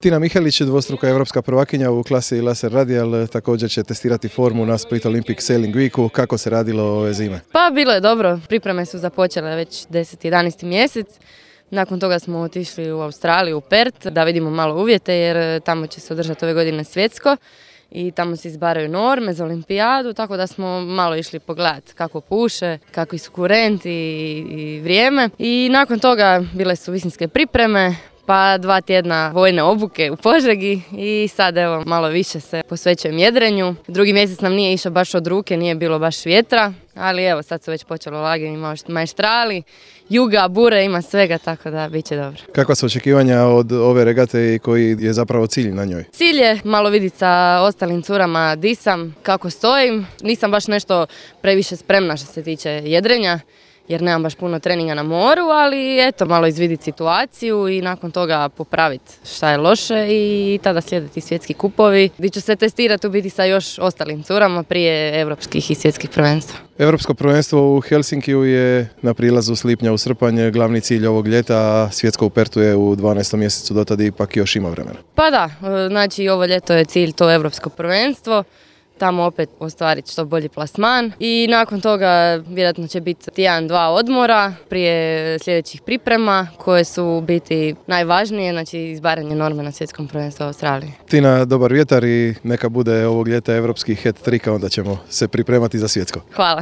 Tina Mihelić, dvostruka evropska prvakinja u klasi Laser Radial, također će testirati formu na Split Olympic Sailing Weeku. Kako se radilo ove zime? Pa bilo je dobro, pripreme su započele već 10-11. mjesec. Nakon toga smo otišli u Australiju, u Perth, da vidimo malo uvjete jer tamo će se održati ove godine svjetsko i tamo se izbaraju norme za olimpijadu, tako da smo malo išli pogledati kako puše, kakvi su kurenti i vrijeme. I nakon toga bile su visinske pripreme, pa 2 tjedna vojne obuke u Požegi i sad evo malo više se posvećujem jedrenju. Drugi mjesec nam nije išao baš od ruke, nije bilo baš vjetra, ali evo sad su već počelo lagani majstrali, juga, bure, ima svega, tako da bit će dobro. Kakva su očekivanja od ove regate i koji je zapravo cilj na njoj? Cilj je malo vidjeti sa ostalim curama di sam, kako stojim. Nisam baš nešto previše spremna što se tiče jedrenja, jer nemam baš puno treninga na moru, ali eto, malo izviditi situaciju i nakon toga popraviti šta je loše i tada slijediti svjetski kupovi, gdje ću se testirati u biti sa još ostalim curama prije evropskih i svjetskih prvenstva. Evropsko prvenstvo u Helsinkiju je na prilazu s lipnja u srpanj glavni cilj ovog ljeta, a svjetsko u Pertu je u 12. mjesecu, do tada ipak još ima vremena. Pa da, znači ovo ljeto je cilj to evropsko prvenstvo. Tamo opet ostvariti što bolji plasman i nakon toga vjerojatno će biti 1-2 odmora prije sljedećih priprema koje su biti najvažnije, znači izbaranje norme na svjetskom prvenstvu u Australiji. Tina, dobar vjetar i neka bude ovog ljeta evropski hat-trick, onda ćemo se pripremati za svjetsko. Hvala.